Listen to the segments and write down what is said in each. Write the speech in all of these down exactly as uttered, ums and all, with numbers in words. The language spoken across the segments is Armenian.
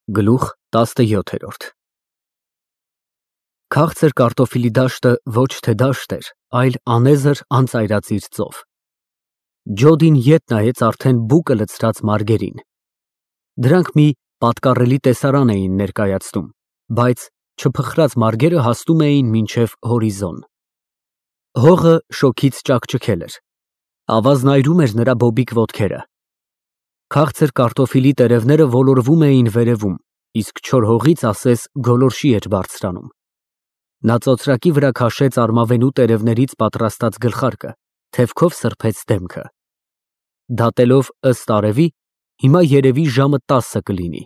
Գլուխ տասնյոթ Քաղցր կարտոֆիլի դաշտը ոչ թե դաշտ էր, այլ անեզր անծայրածիր ծով։ Ջոդին ետ նայեց արդեն բուկը լցրած մարգերին։ Դրանք մի պատկառելի տեսարան էին ներկայացնում, բայց չփխրած մարգերը հասնում էին մինչև հորիզոն։ Հողը շոգից ճաքճքել էր, ավազն այրում էր նրա բոբիկ ոտքերը։ Քաղցր կարտոֆիլի տերևները ոլորվում էին վերևում, իսկ չոր հողից ասես գոլորշի էր բարձրանում։ Նա ծոծրակի վրա քաշեց արմավենու տերևներից պատրաստած գլխարկը, թևքով սրբեց դեմքը։ Դատելով ըստ արևի, հիմա երևի ժամը տասը կլինի։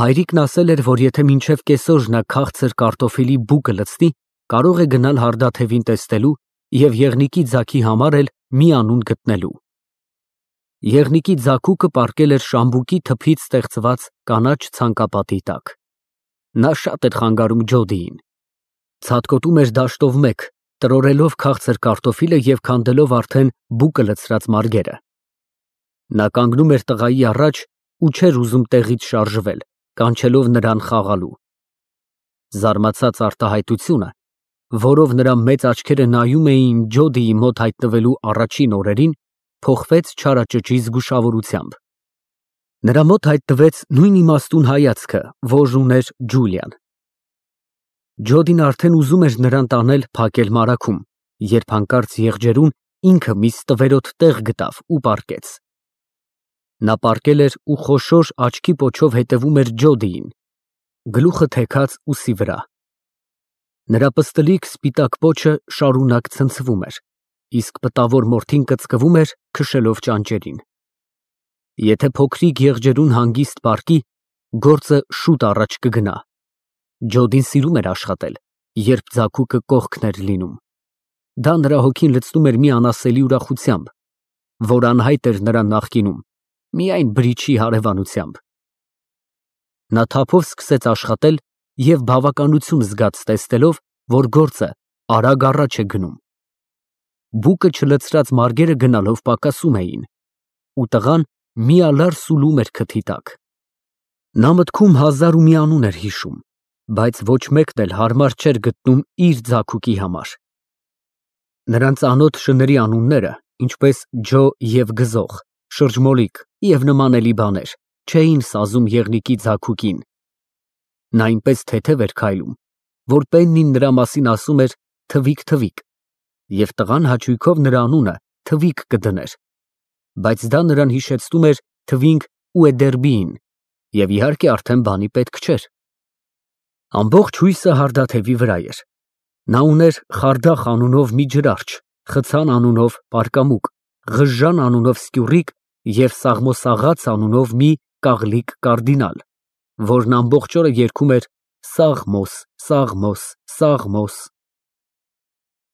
Հայրիկն ասել էր, որ եթե մինչև կեսօր նա քաղցր կարտոֆիլի բուկը լցնի, կարող է գնալ հարդաթևին տեսնելու և եղնիկի ձագի համար էլ մի անուն գտնելու։ Եղնիկի ձագուկը պառկել էր շամբուկի թփից ստեղծված կանաչ ցանկապատի տակ։ Նա շատ էր խանգարում Ջոդիին։ Ցատկոտում էր դաշտով մեկ, տրորելով քաղցր կարտոֆիլը և քանդելով արդեն բուկը լցրած մարգերը։ Նա կանգնում էր տղայի առաջ ու չէր ուզում տեղից շարժվել, կանչելով նրան խաղալու։ Զարմացած արտահայտությունը, որով նրա մեծ աչքերը նայում էին Ջոդիի մոտ հայտնվելու առաջին օրերին, փոխվեց չարաճճի զգուշավորությամբ։ Նրա մոտ հայտնվեց նույն իմաստուն հայացքը, որ ուներ Ջուլիան։ Ջոդին արդեն ուզում էր նրան տանել փակել մարագում, երբ հանկարծ եղջերուն ինքը մի ստվերոտ տեղ գտավ ու պառկեց։ Նա պառկել էր ու խոշոր աչքի պոչով հետևում էր Ջոդիին, գլուխը թեքած ուսի վրա։ Նրա պստլիկ սպիտակ պոչը շարունակ ցնցվում էր, իսկ պտավոր մորթին կծկվում էր, քշելով ճանճերին։ Եթե փոքրիկ եղջերուն հանգիստ պառկի, գործը շուտ առաջ կգնա։ Ջոդին սիրում էր աշխատել, երբ ձագուկը կողքն էր լինում։ Դա նրա հոգին լցնում էր մի անասելի ուրախությամբ, որ անհայտ էր նրան նախկինում, միայն բրիչի հարևանությամբ։ Նա թափով սկսեց աշխատել և բավականություն զգաց տեսնելով, որ գործը արագ առաջ է գնում։ Բուկը չլցրած մարգերը գնալով պակասում էին, ու տղան միալար սուլում էր քթի տակ։ Նա մտքում հազար ու մի անուն էր հիշում, բայց ոչ մեկն էլ հարմար չէր գտնում իր ձագուկի համար։ Նրան ծանոթ շների անունները, ինչպես Ջո և Գզող, Շրջմոլիկ և նմանելի բաներ, չէին սազում եղնիկի ձագուկին։ Նա այնպես թեթև էր քայլում, որ Պեննին նրա մասին ասում էր թվիկ֊թվիկ, և տղան հաճույքով նրա անունը թվիկ կդներ, բայց դա նրան հիշեցնում էր թվինք Ուեդերբիին, և իհարկե արդեն բանի պետք չէր։ Ամբողջ հույսը հարդաթևի վրա էր։ Նա ուներ Խարդախ անունով մի ջրարջ, Խցան անունով պարկամուկ, Ղժժան անունով սկյուռիկ և Սաղմոսաղաց անունով մի կաղլիկ կարդինալ, որն ամբողջ օրը երգում էր Սաղմոս, Սաղմոս, Սաղմոս։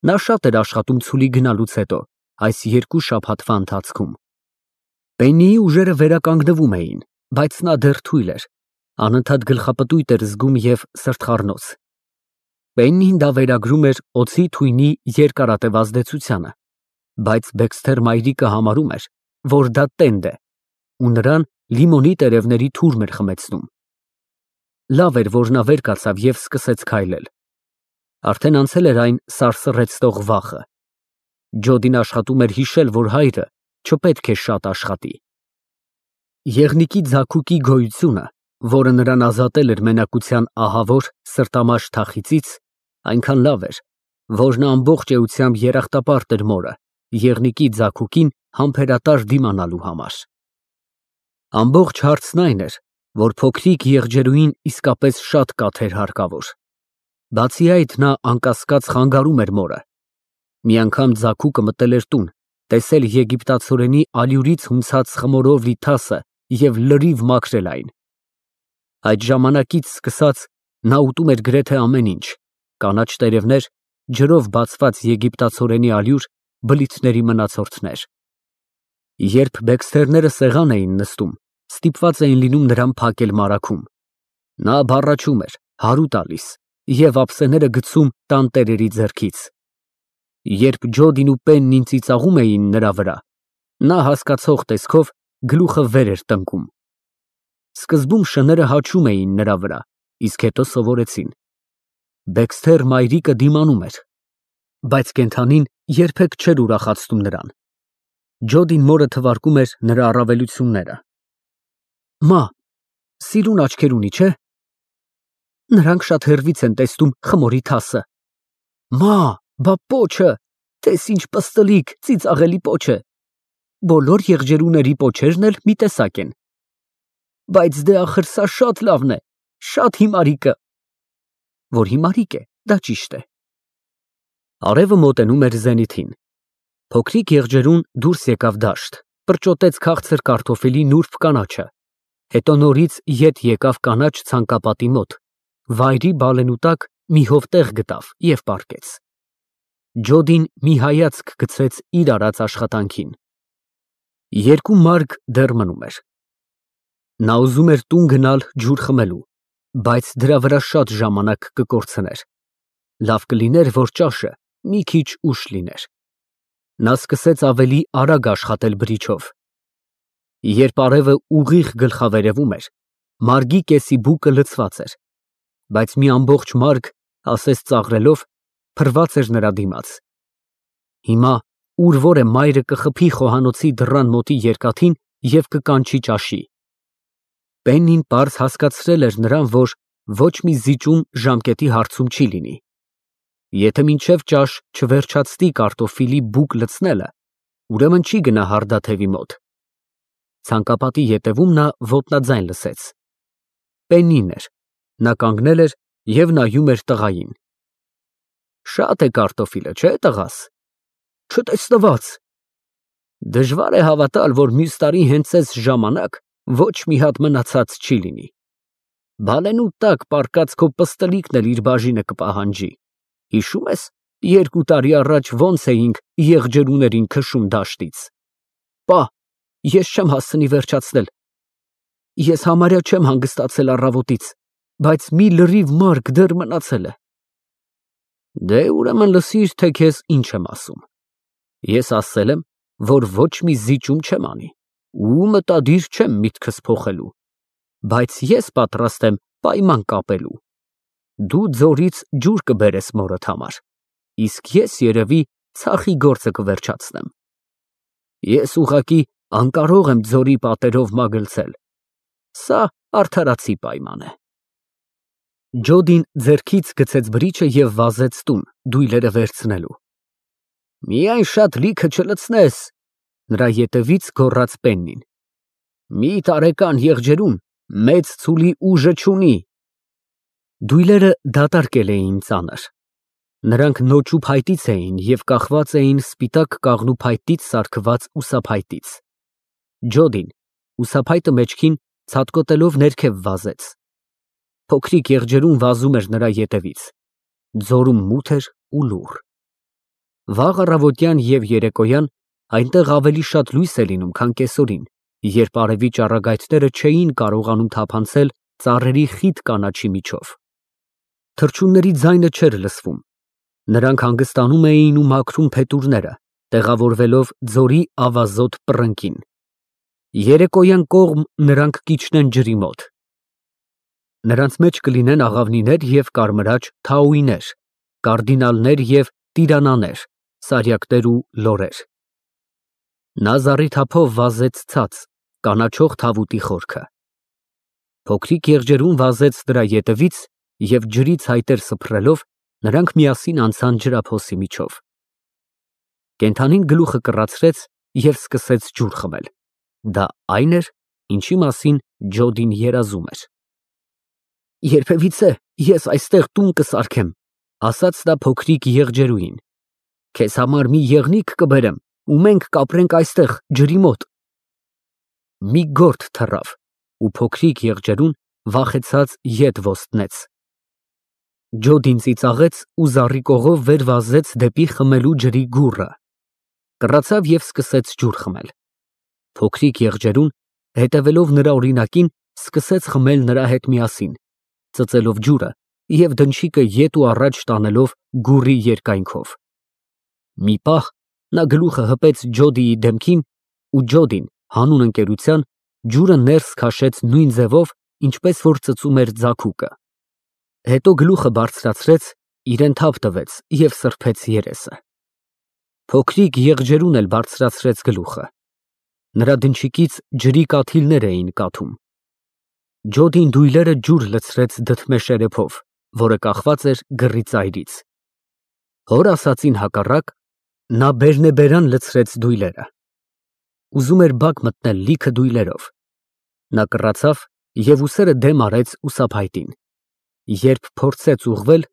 Նա շատ էր աշխատում ցուլի գնալուց հետո, այս երկու շաբաթվա ընթացքում։ Պեննիի ուժերը վերականգնվում էին, բայց նա դեռ թույլ էր, անընդհատ գլխապտույտ էր զգում և սրտխառնոց։ Պեննին դա վերագրում էր օձի թույնի երկարատև ազդեցությանը, բայց Բեքսթեր մայրիկը համարում էր, որ դա տենդ է, ու նրան լիմոնի տերևների թուրմ էր խմեցնում։ Լավ էր, որ նա վեր կացավ և սկսեց քայլել։ Արդեն անցել էր այն սարսռեցնող վախը։ Ջոդին աշխատում էր հիշել, որ հայրը չպետք է շատ աշխատի։ Եղնիկի ձագուկի գոյությունը, որը նրան ազատել էր մենակության ահավոր սրտամաշ թախիծից, այնքան լավ էր, որ նա ամբողջ էությամբ երախտապարտ էր մորը, եղնիկի ձագուկին համբերատար դիմանալու համար։ Ամբողջ հարցն այն էր, որ փոքրիկ եղջերուին իսկապես շատ կաթ էր հարկավոր։ Բացի այդ, նա անկասկած խանգարում էր մորը։ Մի անգամ ձագուկը մտել էր տուն, տեսել եգիպտացորենի ալյուրից հունցած խմորով լի թասը և լրիվ մաքրել այն։ Այդ ժամանակից սկսած նա ուտում էր գրեթե ամեն ինչ՝ կանաչ տերևներ, ջրով բացված եգիպտացորենի ալյուր, բլիթների մնացորդներ։ Երբ Բեքսթերները սեղան էին նստում, ստիպված էին լինում նրան փակել մարագում։ Նա բառաչում էր, հարու տալիս և ափսեները գցում տանտերերի ձեռքից։ Երբ Ջոդին ու Պեննին ծիծաղում էին նրա վրա, նա հասկացող տեսքով գլուխը վեր էր տնկում։ Սկզբում շները հաչում էին նրա վրա, իսկ հետո սովորեցին։ Բեքսթեր մայրիկը դիմանում էր, բայց կենդանին երբեք չէր ուրախացնում նրան։ Ջոդին մորը թվարկում էր նրա առավելությունները։ Մա, սիրուն աչքեր ունի, չէ՞։ Նրանք շատ հեռվից են տեսնում խմորի թասը։ Մա, բա պոչը, տես ինչ պստլիկ, ծիծաղելի պոչ է։ Բոլոր եղջերուների պոչերն էլ մի տեսակ են։ Բայց դե ախր սա շատ լավն է, շատ հիմարիկը։ Որ հիմարիկ է, դա ճիշտ է։ Արևը մոտենում էր զենիթին։ Փոքրիկ եղջերուն դուրս եկավ դաշտ, պրճոտեց քաղցր կարտոֆիլի նուրբ կանաչը, հետո նորից ետ եկավ կանաչ ցանկապատի մոտ, վայրի բալենու տակ մի հովտեղ գտավ և պառկեց։ Ջոդին մի հայացք գցեց իր արած աշխատանքին։ Երկու մարկ դեռ մնում էր։ Նա ուզում էր տուն գնալ ջուր խմելու, բայց դրա վրա շատ ժամանակ կկորցներ։ Լավ կլիներ, որ ճաշը մի քիչ ուշ լիներ։ Նա սկսեց ավելի արագ աշխատել բրիչով։ Երբ արևը ուղիղ գլխավերևում էր, մարգի կեսի բուկը լցված էր, բայց մի ամբողջ մարկ, ասես ծաղրելով, փռված էր նրա դիմաց։ Հիմա ուր որ է մայրը կխփի խոհանոցի դռան մոտի երկաթին և կկանչի ճաշի։ Պեննին պարզ հասկացրել էր նրան, որ ոչ մի զիջում ժամկետի հարցում չի լինի։ Եթե մինչև ճաշ չվերջացնի կարտոֆիլի բուկ լցնելը, ուրեմն չի գնա հարդաթևի մոտ։ Ցանկապատի ետևում նա ոտնաձայն լսեց։ Պեննին էր, նա կանգնել էր և նայում էր տղային։ Շատ է կարտոֆիլը, չէ՞ տղաս։ Չտեսնված։ Դժվար է հավատալ, որ մյուս տարի հենց այս ժամանակ ոչ մի հատ մնացած չի լինի։ Բալենու տակ պառկած քո պստլիկն էլ իր բաժինը կպահանջի։ Հիշո՞ւմ ես, երկու տարի առաջ ոնց էինք եղջերուներին քշում դաշտից։ Պա, ես չեմ հասցնի վերջացնել։ Ես համարյա չեմ հանգստացել առավոտից, բայց մի լրիվ մարկ դեռ մնացել է։ Դե ուրեմն լսիր, թե քեզ ինչ եմ ասում։ Ես ասել եմ, որ ոչ մի զիջում չեմ անի, ու մտադիր չեմ միտքս փոխելու, բայց ես պատրաստ եմ պայման կապելու։ Դու ձորից ջուր կբերես մորդ համար, իսկ ես երևի ցախի գործը կվերջացնեմ։ Ես ուղղակի անկարող եմ ձորի պատերով մագլցել։ Սա արդարացի պայման է։ Ջոդին ձեռքից գցեց բրիչը և վազեց տուն, դույլերը վերցնելու։ Միայն շատ լիքը չլցնես, նրա ետևից գոռաց Պեննին։ Մի տարեկան եղջերուն մեծ ցուլի ուժը չունի։ Դույլերը դատարկել էին ծանր։ Նրանք նոճու փայտից էին և կախված էին սպիտակ կաղնու փայտից սարքված ուսափայտից։ Ջոդին ուսափայտը մեջքին ցատկոտելով ներքև վազեց։ Փոքրիկ եղջերուն վազում էր նրա ետևից։ Ձորում մութ էր ու լուռ։ Վաղ առավոտյան և երեկոյան այնտեղ ավելի շատ լույս է լինում, քան կեսօրին, երբ արևի ճառագայթները չէին կարողանում թափանցել ծառերի խիտ կանաչի միջով։ Թռչունների ձայնը չէր լսվում։ Նրանք հանգստանում էին ու մաքրում փետուրները, տեղավորվելով ձորի ավազոտ պռնկին։ Երեկոյան կողմ նրանք կիջնեն ջրի մոտ։ Նրանց մեջ կլինեն աղավնիներ և կարմրաճ թաուիներ, կարդինալներ և տիրանաներ, սարյակներ ու լորեր։ Նա զառիթափով վազեց ցած, կանաչող թավուտի խորքը։ Փոքրիկ եղջերուն վազեց նրա ետևից և ջրի ցայտեր սփռելով նրանք միասին անցան ջրափոսի միջով։ Կենդանին գլուխը կռացրեց և սկսեց ջուր խմել։ Դա այն էր, ինչի մասին Ջոդին երազում էր։ Երբևիցե ես այստեղ տուն կսարքեմ, ասաց նա փոքրիկ եղջերուին։ Քեզ համար մի եղնիկ կբերեմ ու մենք կապրենք այստեղ ջրի մոտ։ Մի գորտ թռավ ու փոքրիկ եղջերուն վախեցած ետ ոստնեց։ Ջոդին ծիծաղեց ու զառիկողով վեր վազեց դեպի խմելու ջրի գուռը։ Կռացավ և սկսեց ջուր խմել։ Փոքրիկ եղջերուն, հետևելով նրա օրինակին, սկսեց խմել նրա հետ միասին, ծծելով ջուրը և դնչիկը ետ ու առաջ տանելով գուռի երկայնքով։ Մի պահ նա գլուխը հպեց Ջոդիի դեմքին ու Ջոդին հանուն ընկերության Ջուրը ներս քաշեց նույն ձևով, ինչպես որ ծծում էր ձագուկը։ Հետո գլուխը բարձրացրեց, իրեն թափ տվեց և սրբեց երեսը։ Փոքրիկ եղջերուն էլ բարձրացրեց գլուխը։ Նրա դնչիկից ջրի կաթիլներ էին կաթում։ Ջոդին դույլերը ջուր լցրեց դդմե շերեփով, որը կախված էր գռի ծայրից։ Հոր ասածին հակառակ, նա բերնեբերան լցրեց դույլերը։ Ուզում էր բակ մտնել լիքը դույլերով։ Նա կռացավ և ուսերը դեմ արեց ուսափայտին։ Երբ փորձեց ուղղվել,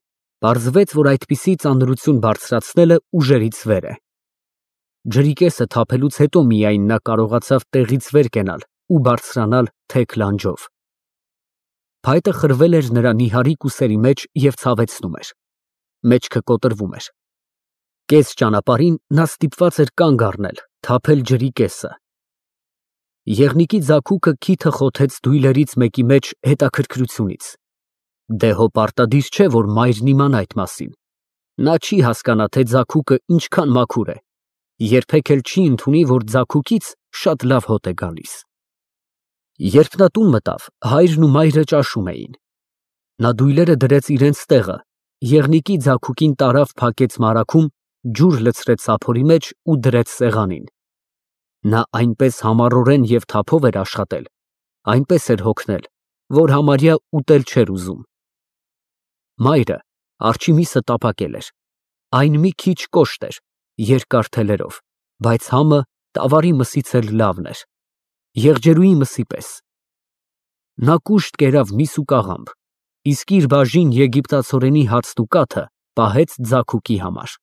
պարզվեց, որ այդպիսի ծանրություն բարձրացնելը ուժերից վեր է։ Ջրի կեսը թափելուց հետո միայն նա կարողացավ տեղից վեր կենալ ու բարձրանալ թեք լանջով։ Փայտը խրվել էր նրա նիհարիկ ուսերի մեջ և ցավեցնում էր։ Մեջքը կոտրվում էր։ Կես ճանապարհին նա ստիպված էր կանգ առնել, թափել ջրի կեսը։ Եղնիկի ձագուկը քիթը խոթեց դույլերից մեկի մեջ հետաքրքրությունից։ Դե հո պարտադիր չէ, որ մայրն իմանա այդ մասին։ Նա չի հասկանա, թե ձագուկը ինչքան մաքուր է, երբեք էլ չի ընդունի, որ ձագուկից շատ լավ հոտ է գալիս։ Երբ նա տուն մտավ, հայրն ու մայրը ճաշում էին։ Նա դույլերը դրեց իրենց տեղը, եղնիկի ձագուկին տարավ փակեց մարագում, ջուր լցրեց սափորի մեջ ու դրեց սեղանին։ Նա այնպես համառորեն և թափով էր աշխատել, այնպես էր հոգնել, որ համարյա ուտել չէր ուզում։ Մայրը արջի միսը տապակել էր, այն մի քիչ կոշտ էր, երկար թելերով, բայց համը տավարի մսից էլ լավն էր, եղջերուի մսի պես։ Նա կուշտ կերավ միս ու կաղամբ, իսկ իր բաժին եգիպտացորենի հացն ու կաթը պահեց ձագուկի համար։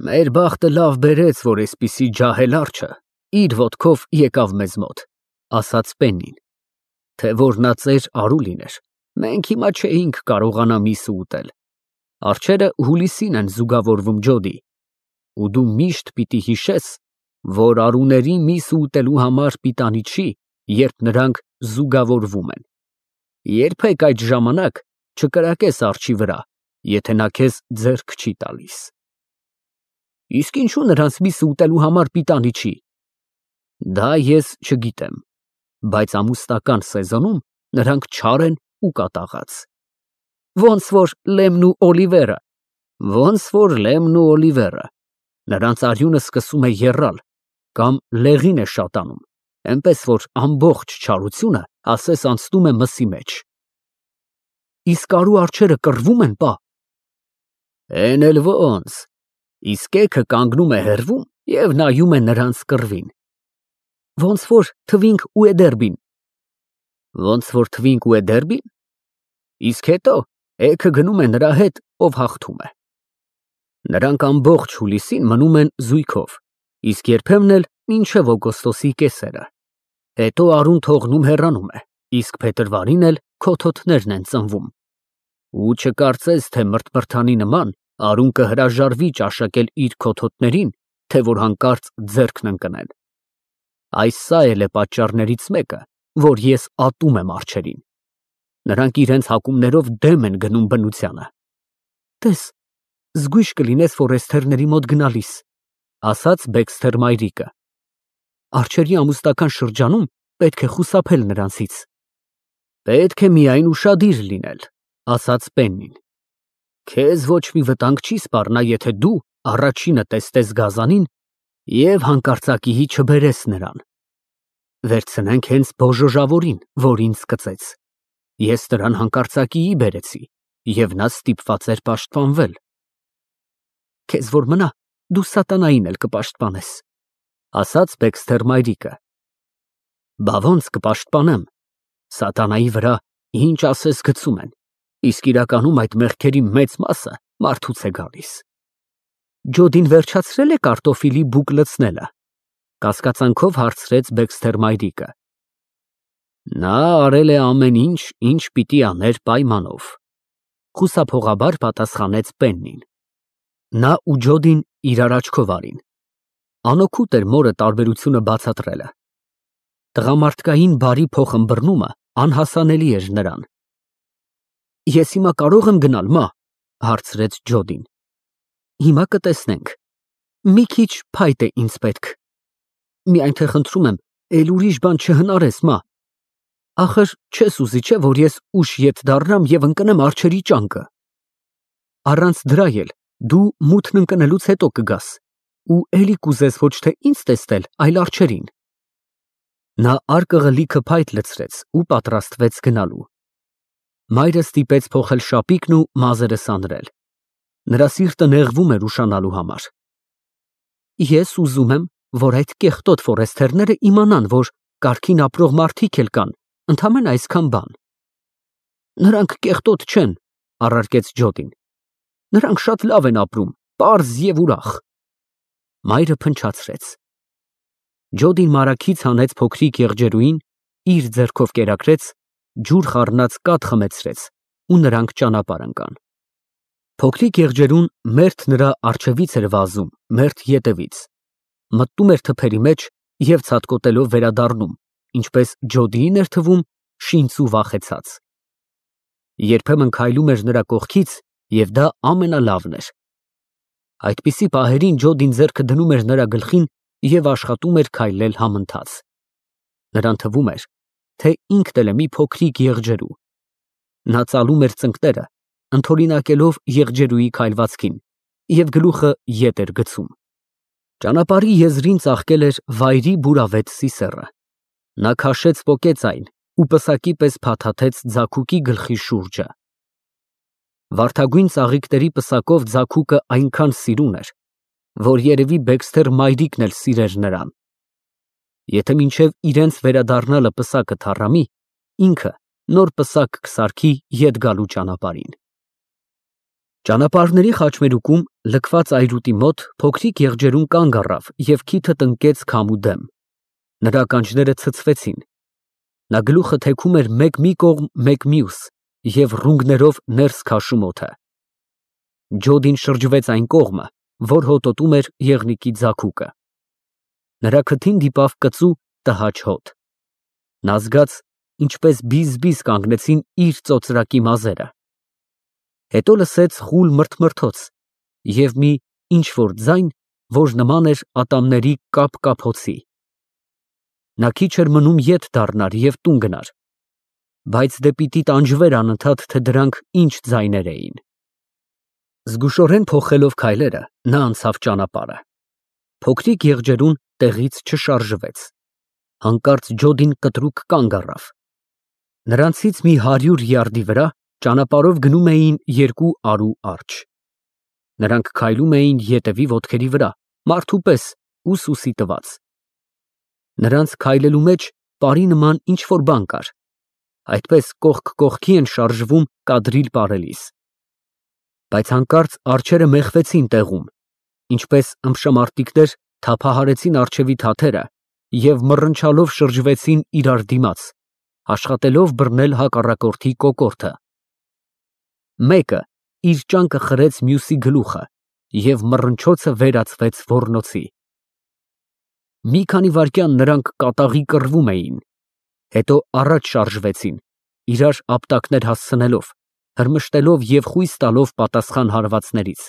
Մեր բախտը լավ բերեց, որ էսպիսի ջահել արջը իր ոտքով եկավ մեզ մոտ, ասաց Պեննին, թե որ նա ծեր արու լիներ, մենք հիմա չէինք կարողանա միսը ուտել։ Արջերը հուլիսին են զուգավորվում, Ջոդի, ու դու միշտ պիտի հիշես, որ արուների միսը ուտելու համար պիտանի չի, երբ նրանք զուգավորվում են։ Երբեք այդ ժամանակ չկրակես արջի վրա, եթե նա քեզ ձեռք չի տալիս։ Իսկ ինչու նրանց միսը ուտելու համար պիտանի չի։ Դա ես չգիտեմ, բայց ամուսնական սեզոնում նրանք չար են ու կատաղած։ Ոնց որ Լեմն ու Օլիվերը, ոնց որ Լեմն ու Օլիվերը, նրանց արյունը սկսում է եռալ կամ լեղին է շատանում, այնպես որ ամբողջ չարությունը ասես անցնում է մսի մեջ։ Իսկ արու արջերը կռվում են, պա։ Էն էլ ոնց, իսկ էգը կանգնում է հեռվում և նայում է նրանց կռվին։ Ոնց որ Թվինք ու Էդերբին։ Ոնց որ Թվինք ու Էդերբին։ Իսկ հետո էգը գնում է նրա հետ, ով հաղթում է։ Նրանք ամբողջ հուլիսին մնում են զույգով, իսկ երբեմն էլ մինչև օգոստոսի կեսերը։ Հետո արուն թողնում հեռանում է, իսկ փետրվարին էլ քոթոթներն են ծնվում։ Ու չկարծես, թե մրթմրթանի նման արուն կհրաժարվի ճաշակել իր քոթոթներին, թե որ հանկարծ ձեռքն ընկնեն։ Այս սա էլ է պատճառներից մեկը, որ ես ատում եմ արջերին։ Նրանք իրենց հակումներով դեմ են գնում բնությանը։ Տես, զգույշ կլինես ֆորեստերների մոտ գնալիս, ասաց Բեքսթեր մայրիկը։ Արջերի ամուսնական շրջանում պետք է խուսափել նրանցից։ Պետք է միայն ուշադիր լինել, ասաց Պեննին։ Քեզ ոչ մի վտանգ չի սպառնա, եթե դու առաջինը տեսնես գազանին և հանկարծակիի չբերես նրան։ Վերցնենք հենց բոժոժավորին, որ ինձ կծեց։ Ես նրան հանկարծակիի բերեցի, և նա ստիպված էր պաշտպանվել։ Քեզ որ մնա, դու սատանային էլ կպաշտպանես, ասաց Բեքսթեր մայրիկը։ Բա ոնց կպաշտպանեմ, սատանայի վրա ինչ ասես գցում են, իսկ իրականում այդ մեղքերի մեծ մասը մարդուց է գալիս։ Ջոդին վերջացրել է կարտոֆիլի բուկ լցնելը, կասկածանքով հարցրեց Բեքսթեր մայրիկը։ Նա արել է ամեն ինչ, ինչ պիտի աներ պայմանով, խուսափողաբար պատասխանեց Պեննին։ Նա ու Ջոդին իրար աչքով արին։ Անօգուտ էր մորը տարբերությունը բացատրելը։ Տղամարդկային բարի փոխըմբռնումը անհասանելի էր նրան։ Ես հիմա կարող եմ գնալ, մա, հարցրեց Ջոդին։ Հիմա կտեսնենք։ Մի քիչ փայտ է ինձ պետք։ Միայն թե խնդրում եմ, Էլ ուրիշ բան չհնարես, մա։ Ախր չես ուզի, չէ, որ ես ուշ ետ դառնամ եւ ընկնեմ արջերի ճանկը։ Առանց դրա էլ դու մութն ընկնելուց հետո կգաս ու էլի կուզես ոչ թե ինձ տեսնել, այլ արջերին։ Նա արկղը լիքը փայտ լցրեց ու պատրաստվեց գնալու։ Մայրը ստիպեց փոխել շապիկն ու մազերը սանրել։ Նրա սիրտը նեղվում էր ուշանալու համար։ Ես ուզում եմ, որ այդ կեղտոտ ֆորեստերները իմանան, որ կարգին ապրող մարդիկ էլ կան, ընդամենը այսքան բան։ Նրանք կեղտոտ չեն, առարկեց Ջոդին։ Նրանք շատ լավ են ապրում, պարզ եւ ուրախ։ Մայրը փնչացրեց։ Ջոդին մարաքից հանեց փոքրիկ եղջերուին, իր ձեռքով կերակրեց, ջուր խառնած կաթ խմեցրեց ու նրանք ճանապարհ ընկան։ Փոքրիկ եղջերուն մերթ նրա առջևից էր վազում, մերթ ետևից, մտնում էր թփերի մեջ եւ ցատկոտելով վերադառնում, ինչպես Ջոդիին էր թվում, շինց ու վախեցած։ Երբեմն քայլում էր նրա կողքից եւ դա ամենալավն էր։ Այդպիսի պահերին Ջոդին ձեռքը դնում էր նրա գլխին եւ աշխատում էր քայլել համընթաց։ Նրան թվում էր, թե ինքն էլ է մի փոքրիկ եղջերու։ Նա ծալում էր ծնկները, ընդօրինակելով եղջերուի քայլվածքին եւ գլուխը ետ էր գցում։ Ճանապարհի եզրին ծաղկել էր վայրի բուրավետ սիսեռը։ Նա քաշեց պոկեց այն ու պսակի պես փաթաթեց ձագուկի գլխի շուրջը։ Վարդագույն ծաղիկների պսակով ձագուկը այնքան սիրուն էր, որ երևի Բեքսթեր մայրիկն էլ սիրեր նրան։ Եթե մինչև իրենց վերադառնալը պսակը թառամի, ինքը նոր պսակ կսարքի ետ գալու ճանապարհին։ Ճանապարհների խաչմերուկում լքված այրուտի մոտ փոքրիկ եղջերուն կանգ առավ եւ քիթը տնկեց քամու դեմ։ Նրա ականջները ցցվեցին։ Նա գլուխը թեքում էր մեկ մի կողմ, մեկ մյուս եւ ռունգներով ներս քաշում օդը։ Ջոդին շրջվեց այն կողմը, որ հոտոտում էր եղնիկի ձագուկը։ Նրա քթին դիպավ կծու տհաճ հոտ։ Նա զգաց, ինչպես բիզ-բիզ կանգնեցին իր ծոծրակի մազերը։ Հետո լսեց խուլ մրթմրթոց եւ մի ինչ-որ ձայն, որ նման էր ատամների կապ֊կապոցի։ Նա քիչ էր մնում ետ դառնար եւ տուն գնար, բայց դե պիտի տանջվեր անընդհատ, թե դրանք ինչ ձայներ էին։ Զգուշորեն փոխելով քայլերը, նա անցավ ճանապարհը։ Փոքրիկ եղջերուն տեղից չշարժվեց։ Հանկարծ Ջոդին կտրուկ կանգ առավ։ Նրանցից մի հարյուր յարդի վրա ճանապարհով գնում էին երկու արու արջ։ Նրանք քայլում էին ետևի ոտքերի վրա, մարդու պես ու սուսի տված։ Նրանց քայլելու մեջ պարի նման ինչ-որ բան կար, այդպես կողք կողքի են շարժվում կադրիլ պարելիս։ Բայց հանկարծ արջերը մեխվեցին տեղում, ինչպես ըմբշամարտիկներ թափահարեցին արջևի թաթերը եւ մռնչալով շրջվեցին իրար դիմաց, աշխատելով բռնել հակառակորդի կոկորդը։ Մեկը իր ճանկը խրեց մյուսի գլուխը եւ մռնչոցը վերածվեց ոռնոցի։ Մի քանի վայրկյան նրանք կատաղի կռվում էին, հետո առաջ շարժվեցին, իրար ապտակներ հասցնելով, հրմշտելով եւ խույս տալով պատասխան հարվածներից։